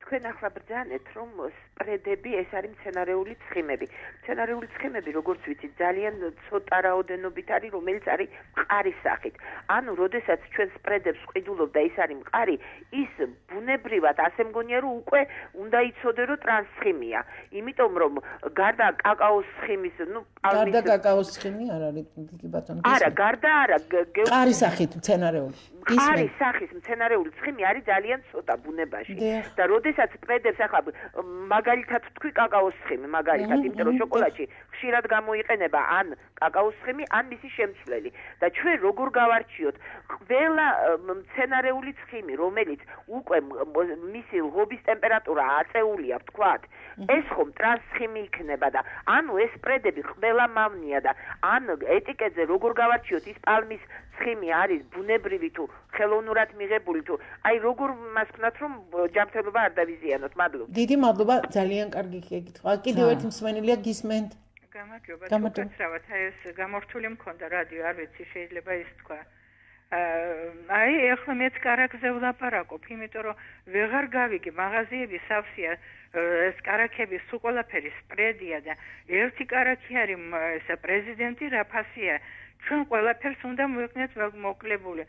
თქვენ ახლა ბრძანეთ რომ სპრედები ეს არის მცენარეული ცხიმები. მცენარეული ცხიმები როგორც ვიცით ძალიან ცოტა რაოდენობით არის რომელიც არის მყარის სახით. ანუ როდესაც ჩვენ სპრედებს ვყიდულობ და ის არის მყარი, ის ბუნებრივად ასე მგონია რომ უკვე უნდა იცოდე რომ ტრანსცხიმია. იმიტომ რომ გარდა კაკაოს ცხიმის, ну, პალმის გარდა კაკაოს ცხიმი არ არის კი ბატონო. არა, გარდა არა, მყარის სახით მცენარეული. მყარის სახის მცენარეული ცხიმი არის ძალიან ცოტა ბუნებაში. და როდესაც სპრედებს ახლა მაგალითად თქვი კაკაოს ცხიმი, მაგალითად, იმიტომ რომ შოკოლადში ხშირად გამოიყენება ან კაკაოს ცხიმი, ან მისი შემცვლელი. და ჩვენ როგორ გავარჩიოთ ყველა მცენარეული ცხიმი, რომელიც უკვე მისი ლღობის ტემპერატურა აწეულია, ვთქვათ, ეს ხომ ტრანსცხიმი იქნება და ანუ ეს სპრედები ყველა მავნია და ან ეტიკეტზე როგორ გავარჩიოთ ის პალმის ცხიმი არის ბუნებრივი თუ ხელოვნურად მიღებული თუ აი როგორ მას ვქნათ რომ ჯანმრთელობა არ დავიზიანოთ. მადლობა. დიდი მადლობა, ძალიან კარგი კითხვა. კიდევ ერთი მსმენელია გისმენთ. გამარჯობა. უკაცრავად ეს გამორთული მქონდა რადიო, არ ვიცი შეიძლება ის თქვა. აი ეხლა მეც კარაქზე ვლაპარაკობ, იმიტომ რომ ვეღარ გავიგე მაღაზიები სავსეა ეს კარაქები სულ ყველაფერი სპრედია და ერთი კარაქი არის ესა პრეზიდენტი რაფასია. ჩვენ ყველაფერს უნდა მოვიქნეთ მოკლებული.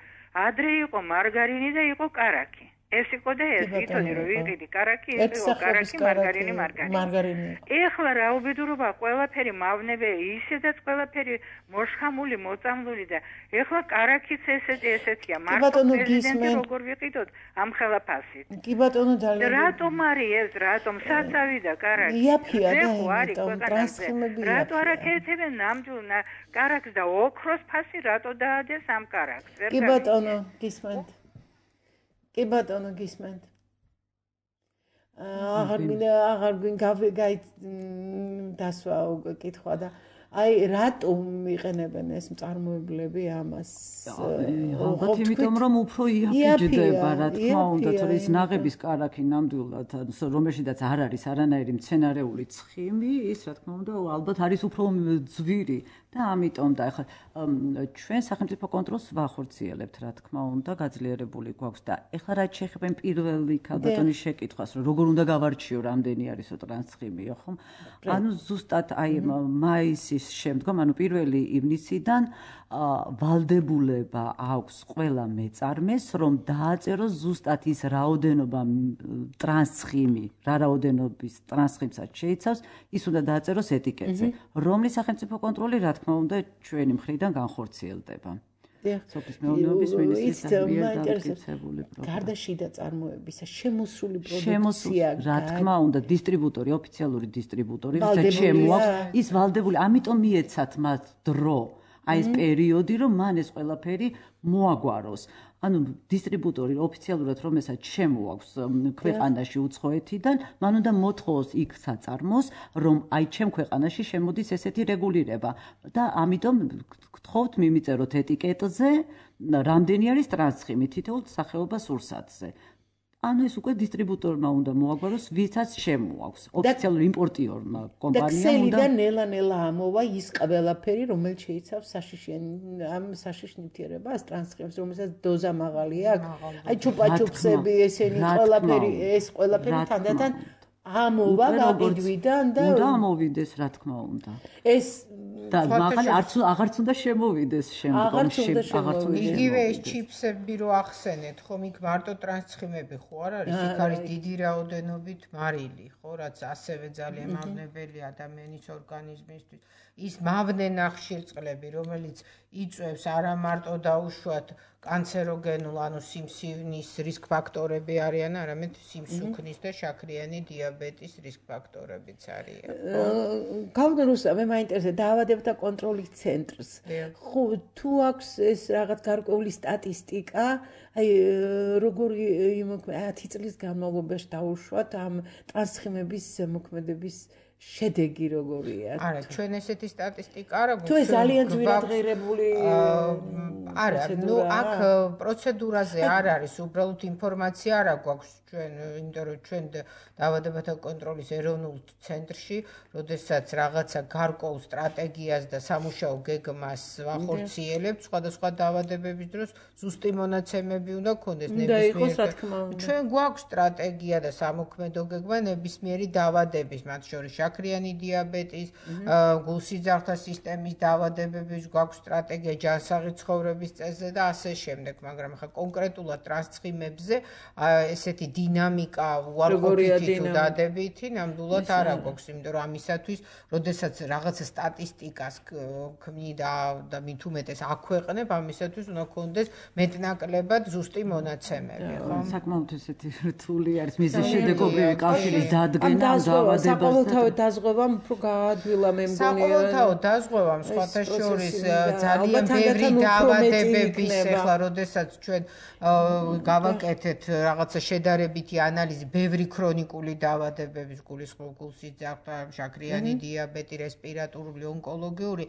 ადრე იყო მარგარინი და იყო კარაქი. ეს იყო და ეს ითოლი რომ ვიყიდი კარაქი, ეს იყო კარაქი, მარგარინი, მარგარინი. ეხლა რაუბედურობა ყველაფერი მავნებე, ისედაც ყველაფერი მოშხამული, მოწამლული და ეხლა კარაქიც ესეთი ესეთია. მარტო პრეზიდენტი როგორ ვიყიდოთ ამ ხელაფასით. კი ბატონო ძალიან. რატომ არის ეს, რატომ საცავი და კარაქი? იაფია და იმიტომ ტრანსხიმები. რატო არ აკეთებენ ნამდვილ კარაქს და ოქროს ფასი რატო დაადეს ამ კარაქს? კი ბატონო, გისმენთ. კი ბატონო გისმენთ. აღარ მინდა აღარ გავიგე დასვა კითხვა და აი რატომ იყენებენ ეს მწარმოებლები ამას? ალბათ იმიტომ რომ უფრო იაფიჯდება, რა თქმა უნდა, თორე ის ნაღების კარაქი ნამდვილად, რომელშიც არ არის არანაირი მცენარეული ცხიმი, ის რა თქმა უნდა, ალბათ არის უფრო ძვირი და ამიტომ და ახლა ჩვენ სახელმწიფო კონტროლს ვახორციელებთ, რა თქმა უნდა, გაძლიერებული გვაქვს და ახლა რაც შეეხება პირველი ქალბატონის შეკითხვას, რომ როგორ უნდა გავარჩიო, რამდენი არისო ტრანსცხიმიო, ხომ? ანუ ზუსტად აი მაისის შემდგომ, ანუ პირველი ივნისიდან ვალდებულება აქვს ყველა მეწარმეს, რომ დააწეროს ზუსტად ის რაოდენობა ტრანსცხიმი, რა რაოდენობის ტრანსცხიმსაც შეიცავს, ის უნდა დააწეროს ეტიკეტზე, რომლის სახელმწიფო კონტროლი, რა თქმა უნდა, ჩვენი მხრიდან განხორციელდება. სოფლის მეურნეობის მინისტრიის მიერ დამტკიცებული პროგრამა. გარდა შიდა წარმოებისა, შემოსული პროდუქცია, რა თქმა უნდა, დისტრიბუტორი, ოფიციალური დისტრიბუტორი, ვისაც შემოაქვს, ის ვალდებული, ამიტომ მიეცათ მათ დრო. აი ეს პერიოდი, რომ მან ეს ყველაფერი მოაგვაროს. ანუ დისტრიბუტორი ოფიციალურად რომელსაც შემოაქვს ქვეყანაში უცხოეთიდან, მან უნდა მოთხოვოს იქ საწარმოს, რომ აი ჩემ ქვეყანაში შემოდის ესეთი რეგულირება და ამიტომ გთხოვთ მიმიწეროთ ეტიკეტზე, რამდენი არის ტრანსხიმი თითოეულ სახეობას სურსათზე. ანუ ეს უკვე დისტრიბუტორმა უნდა მოაგვაროს, ვისაც შემოაქვს. ოფიციალურ იმპორტიორმა კომპანიამ უნდა და ნელა-ნელა ამოვა ის ყველაფერი, რომელიც შეიცავს საშიშენ ამ საშიშ ნივთიერებას, ტრანსხიმს, რომელსაც დოზა მაღალი აქვს. აი ჩუპა-ჩუპსები, ესენი ყველაფერი, ეს ყველაფერი თანდათან ამოვა გაყიდვიდან და უნდა ამოვიდეს, რა თქმა უნდა. ეს და მაგალითად არც აღარც უნდა შემოვიდეს შემდგომში, აღარც უნდა. იგივე ეს ჩიპსები რო ახსენეთ, ხომ იქ მარტო ტრანსხიმები ხო არ არის, იქ არის დიდი რაოდენობით მარილი, ხო, რაც ასევე ძალიან მავნებელი ადამიანის ორგანიზმისთვის. ის მავნე ნახშირწყლები, რომელიც იწვევს არა მარტო დაუშვათ კანცეროგენულ, ანუ სიმსივნის რისკ ფაქტორები არიან, არამედ სიმსუქნის და შაქრიანი დიაბეტის რისკ ფაქტორებიც არიან. გავდა რუსა, მე მაინტერესებს დაავადებათა კონტროლის ცენტრს. ხო, თუ აქვს ეს რაღაც გარკვეული სტატისტიკა, აი როგორი ათი წლის განმავლობაში დაუშვათ ამ ტრანსხიმების მოქმედების შედეგი როგორია? არა, ჩვენ ესეთი სტატისტიკა არ აქვს. თუ ეს ძალიან ძვირადღირებული არა, ნუ აქ პროცედურაზე არ არის, უბრალოდ ინფორმაცია არ აქვს ჩვენ, იმიტომ რომ ჩვენ დაავადებათა კონტროლის ეროვნულ ცენტრში, როდესაც რაღაცა გარკვეულ სტრატეგიას და სამუშაო გეგმას ვახორციელებთ, სხვადასხვა დაავადებების დროს ზუსტი მონაცემები უნდა გქონდეს ნებისმიერ. ჩვენ გვაქვს სტრატეგია და სამოქმედო გეგმა ნებისმიერი დაავადების, მათ შორის შაქრიანი დიაბეტის, გულსიძახთა სისტემის დაავადებების გვაქვს სტრატეგია, ჯანსაღი ცხოვრების წესზე და ასე შემდეგ, მაგრამ ხა კონკრეტულად ტრანსხიმებზე ესეთი დინამიკა უარყოფითი თუ დადებითი ნამდვილად არ აქვს, იმიტომ რომ ამისათვის, როდესაც რაღაცა სტატისტიკას ქმნიდა და მით უმეტეს აქვეყნებ, ამისათვის უნდა გქონდეს მეტნაკლებად ზუსტი მონაცემები, ხო? საკმაოდ ესეთი რთული არის მიზეზშედეგობრივი კავშირის დადგენა დაავადებასთან. დაზღვევამ უფრო გაადვილა მე მგონი. საყოველთაო დაზღვევამ სხვათა შორის ძალიან ბევრი დაავადებების ახლა როდესაც ჩვენ გავაკეთეთ რაღაცა შედარებითი ანალიზი ბევრი ქრონიკული დაავადებების გულისხმობ გულსიძახთა, შაქრიანი დიაბეტი, რესპირატორული, ონკოლოგიური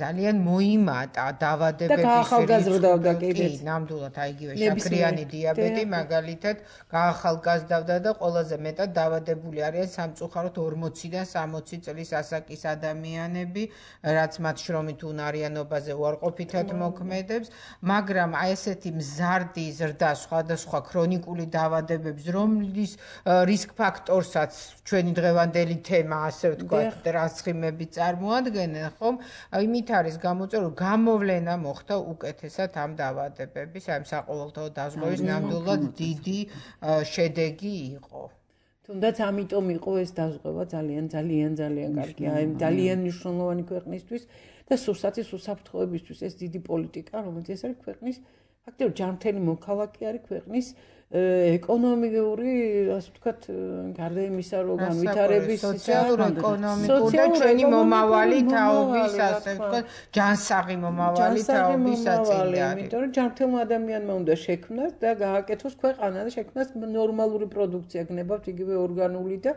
ძალიან მოიმატა დაავადებების ახალგაზრდავდა კი, ნამდვილად აი იგივე შაქრიანი დიაბეტი მაგალითად გაახალგაზრდავდა და ყველაზე მეტად დაავადებული არიან სამწუხაროდ ორმოციდან სამოცი წლის ასაკის ადამიანები, რაც მათ შრომით უნარიანობაზე უარყოფითად მოქმედებს, მაგრამ აი ესეთი მზარდი ზრდა სხვადასხვა ქრონიკული დაავადებების, რომლის რისკ ფაქტორსაც ჩვენი დღევანდელი თემა, ასე ვთქვათ, ტრანსხიმები წარმოადგენენ, ხომ? იმით არის გამოწვეული, რომ გამოვლენა მოხდა უკეთესად ამ დაავადებების, აი ამ საყოველთაო დაზღვევის ნამდვილად დიდი შედეგი იყო. თუნდაც ამიტომ იყო ეს დაზღვევა ძალიან ძალიან ძალიან კარგი, აი ძალიან მნიშვნელოვანი ქვეყნისთვის და სურსათის უსაფრთხოებისთვის ეს დიდი პოლიტიკა, რომელიც ეს არის ქვეყნის ფაქტობრივად ჯანმრთელი მოქალაქე არის ქვეყნის ეკონომიკური, ასე ვთქვათ, გარდა იმისა, რომ განვითარების სოციალურ-ეკონომიკური და ჩვენი მომავალი თაობის, ასე ვთქვათ, ჯანსაღი მომავალი თაობის საწინდარი. იმიტომ რომ ჯანმრთელმა ადამიანმა უნდა შექმნას და გააკეთოს ქვეყანა და შექმნას ნორმალური პროდუქცია, გნებავთ იგივე ორგანული და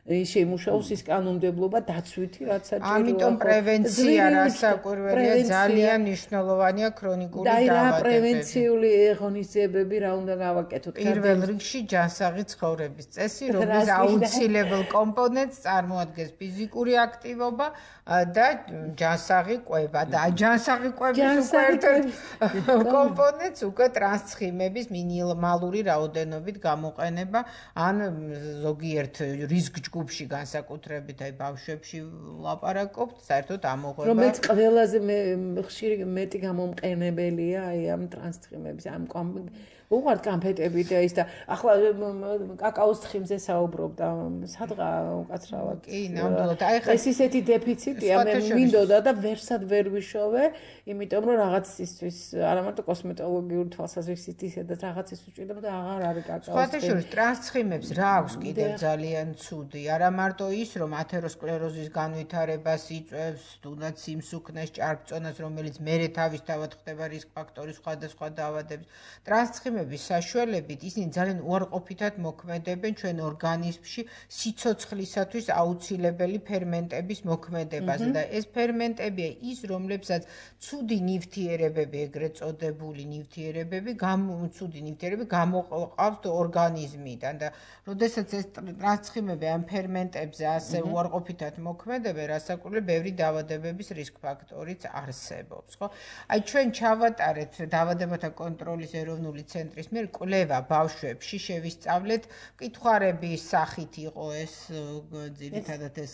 შეიმუშაოს ის კანონმდებლობა დაცვითი, რაც საჭიროა. ამიტომ პრევენცია რასაკვირველია ძალიან მნიშვნელოვანია ქრონიკული დაავადებები. და პრევენციული ღონისძიებები რა უნდა გავაკეთოთ? პირველ რიგში ჯანსაღი ცხოვრების წესი, რომლის აუცილებელ კომპონენტს წარმოადგენს ფიზიკური აქტივობა და ჯანსაღი კვება და ჯანსაღი კვების უკვე ერთ-ერთ კომპონენტს უკვე ტრანსხიმების მინიმალური რაოდენობით გამოყენება ან ზოგიერთ რისკ ჯგუფში განსაკუთრებით აი ბავშვებში ვლაპარაკობთ, საერთოდ ამოღება რომელიც ყველაზე ხშირი მეტი გამომყენებელია აი ამ ტრანსხიმების ამ უღართ კამფეტები და ის და ახლა კაკაოს თხიმზე საუბრობდა სადღა უკაცრავად კი ნამდვილად აი ხა ეს ისეთი დეფიციტია მე მინდოდა და ვერსად ვერ ვიშოვე იმიტომ რომ რაღაც ისთვის არა მარტო კოსმეტოლოგიური თვალსაზრისით ისედაც რაღაც ის უჭირდება და აღარ არის კაკაოს სხვათა შორის ტრანსხიმებს რა აქვს კიდევ ძალიან ცუდი არა მარტო ის, რომ ათეროსკლეროზის განვითარებას იწვევს, თუნდაც სიმსუქნეს, ჭარბწონას, რომელიც მერე თავისთავად ხდება რისკ ფაქტორი სხვადასხვა დაავადების. ტრანსცხიმების საშუალებით ისინი ძალიან უარყოფითად მოქმედებენ ჩვენ ორგანიზმში სიცოცხლისათვის აუცილებელი ფერმენტების მოქმედებაზე და ეს ფერმენტებია ის, რომლებსაც ცუდი ნივთიერებები, ეგრეთ წოდებული ნივთიერებები, ცუდი ნივთიერებები გამოყავს ორგანიზმიდან და როდესაც ეს ტრანსცხიმები ამ ფერმენტებზე ასე უარყოფითად მოქმედებენ, რასაკვირველია, ბევრი დაავადებების რისკ ფაქტორიც არსებობს, ხო? აი ჩვენ ჩავატარეთ დაავადებათა კონტროლის ეროვნული ცენტრის მიერ კვლევა ბავშვებში, შევისწავლეთ, მკითხვარების სახით იყო ეს ძირითადად ეს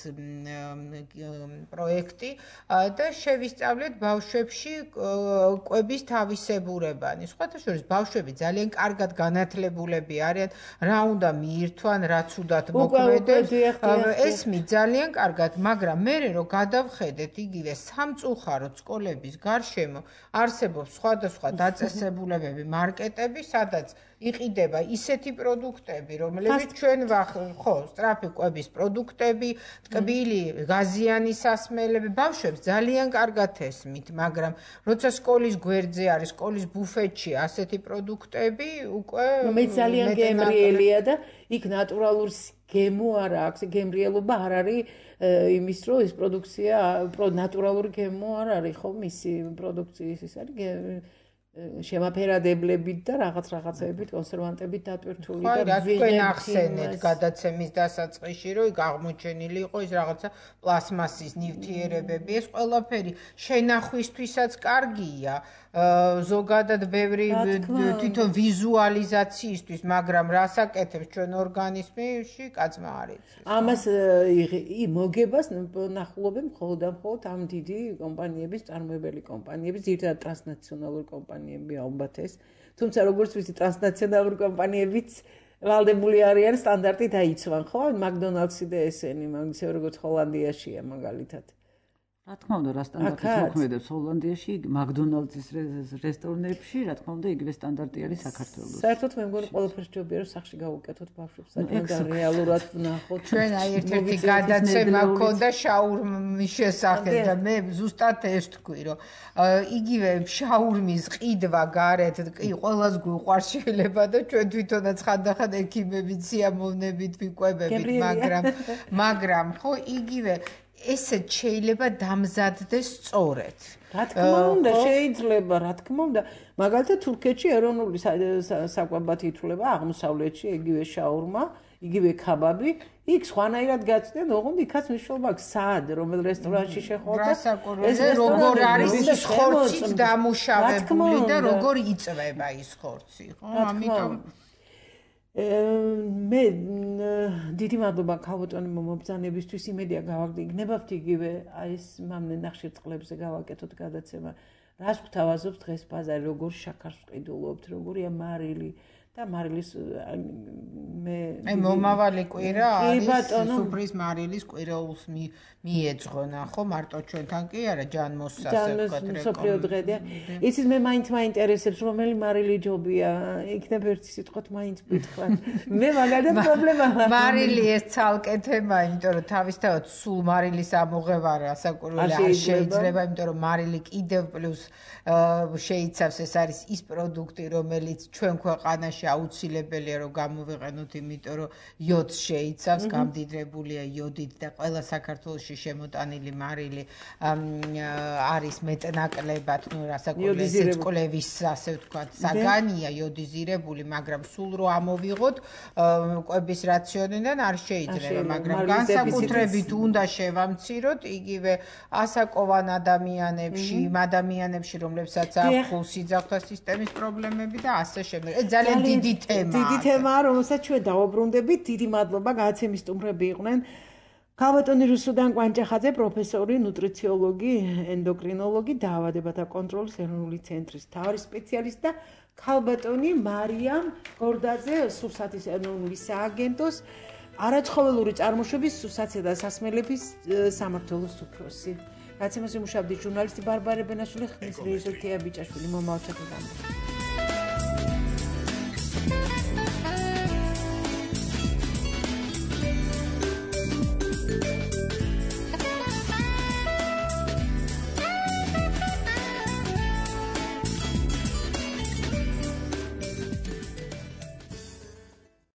პროექტი და შევისწავლეთ ბავშვებში კვების თავისებურებანი. სხვათა შორის ბავშვები ძალიან კარგად განათლებულები არიან, რა უნდა მიირთვან, რაც უდათ მოქმედებს. ეს მი ძალიან კარგად, მაგრამ მე რო გადავხედეთ იგივე სამწუხაროდ სკოლების გარშემო არსებობს სხვადასხვა დაწესებულებები, მარკეტები, სადაც იყიდება ისეთი პროდუქტები, რომლებიც ჩვენ ხო, სწრაფი კვების პროდუქტები, ტკბილი, გაზიანი სასმელები, ბავშვებს ძალიან კარგად ესმით, მაგრამ როცა სკოლის გვერდზე არის, სკოლის ბუფეტში ასეთი პროდუქტები, უკვე მე ძალიან გემრიელია და იქ ნატურალური გემო არა აქვს, გემრიელობა არ არის იმის რომ ეს პროდუქცია ნატურალური გემო არ არის, ხო, მისი პროდუქციის ის არის შემაფერადებლებით და რაღაც რაღაცებით, კონსერვანტებით დატვირთული და რა თქვენ ახსენეთ გადაცემის დასაწყისში, რომ იქ აღმოჩენილი იყო ის რაღაცა პლასმასის ნივთიერებები, ეს ყველაფერი შენახვისთვისაც კარგია. ზოგადად ბევრი თვითონ ვიზუალიზაციისთვის, მაგრამ რას აკეთებს ჩვენ ორგანიზმში, კაცმა არ იცის. ამას მოგებას ნახულობენ მხოლოდ და მხოლოდ ამ დიდი კომპანიების, წარმოებელი კომპანიების, ძირითადად ტრანსნაციონალური კომპანიები ალბათ ეს. თუმცა როგორც ვიცი, ტრანსნაციონალური კომპანიებიც ვალდებული არიან სტანდარტი დაიცვან, ხო? მაკდონალდსი და ესენი, ისე როგორც ჰოლანდიაშია მაგალითად. რა თქმა უნდა, რა სტანდარტით მოქმედებს ჰოლანდიაში, მაკდონალდსის რესტორნებში, რა თქმა უნდა, იგივე სტანდარტი არის საქართველოს. საერთოდ მე მგონი ყველაფერს ჯობია რომ სახში გავუკეთოთ ბავშვებს, და რეალურად ვნახოთ. ჩვენ აი ერთ-ერთი გადაცემა ქონდა შაურმის შესახებ და მე ზუსტად ეს თქვი, რომ იგივე შაურმის ყიდვა გარეთ, კი, ყველას გვიყვარს შეიძლება და ჩვენ თვითონაც ხანდახან ექიმებით, სიამოვნებით ვიკვებებით, მაგრამ მაგრამ ხო იგივე ესეც შეიძლება დამზადდეს სწორედ. რა თქმა უნდა, შეიძლება, რა თქმა უნდა. მაგალითად თურქეთში ეროვნული საკვებად ითვლება, აღმოსავლეთში იგივე შაურმა, იგივე ქაბაბი, იქ სხვანაირად გაწვდენ, ოღონდ იქაც მნიშვნელობა აქვს სად, რომელ რესტორანში შეხვდა. რასაკვირველია, როგორ არის ის ხორციც დამუშავებული და როგორ იწვება ის ხორცი, ხო? ამიტომ მე დიდი მადლობა ქალბატონი მომბრძანებისთვის, იმედია გავაგრძელებთ იგივე აი ეს მამნე ნახშირწყლებზე გავაკეთოთ გადაცემა. რას გვთავაზობს დღეს ბაზარი, როგორ შაქარს ვყიდულობთ, როგორია მარილი და მარილის მე აი მომავალი კვირა არის სუფრის მარილის კვირაულს მიეძღვნა, ხო, მარტო ჩვენთან კი არა, ჯანმოსს ასე ვთქვათ, მსოფლიო დღეა. იცით მე მაინც მაინტერესებს რომელი მარილი ჯობია, იქნებ ერთი სიტყვით მაინც ვიტყვათ. მე მაგალითად პრობლემა მარილი ეს ცალკე თემა, იმიტომ რომ თავისთავად სულ მარილის ამოღება რასაკვირველია არ შეიძლება, იმიტომ რომ მარილი კიდევ პლუს შეიცავს, ეს არის ის პროდუქტი, რომელიც ჩვენ ქვეყანაში აუცილებელია რომ გამოვიყენოთ, იმიტომ რომ იოდს შეიცავს, გამდიდრებულია იოდით და ყველა საქართველოში შემოტანილი მარილი არის მეტნაკლებად, ну რასაკვირველია კვლევის ასე ვთქვათ, საგანია იოდიზირებული, მაგრამ სულ რო ამოვიღოთ კვების რაციონიდან არ შეიძლება, მაგრამ განსაკუთრებით უნდა შევამციროთ იგივე ასაკოვან ადამიანებში, იმ ადამიანებში, რომლებსაც აქვს ხულსიძახთა სისტემის პრობლემები და ასე შემდეგ. ეს ძალიან დიდი თემაა. დიდი თემაა, რომელსაც ჩვენ დავუბრუნდებით. დიდი მადლობა, გადაცემის სტუმრები იყვნენ ქალბატონი რუსუდან კვანჭახაძე, პროფესორი, ნუტრიციოლოგი, ენდოკრინოლოგი, დაავადებათა კონტროლის ეროვნული ცენტრის მთავარი სპეციალისტი და ქალბატონი მარიამ გორდაძე, სურსათის ეროვნული სააგენტოს არაცხოველური წარმოშობის სურსათისა და სასმელების სამმართველოს უფროსი. გადაცემას იმუშავებდი ჟურნალისტი ბარბარე ბენაშვილი, ხმის რეჟისორი თეა ბიჭაშვილი, მომავალ ჩათვლამდე.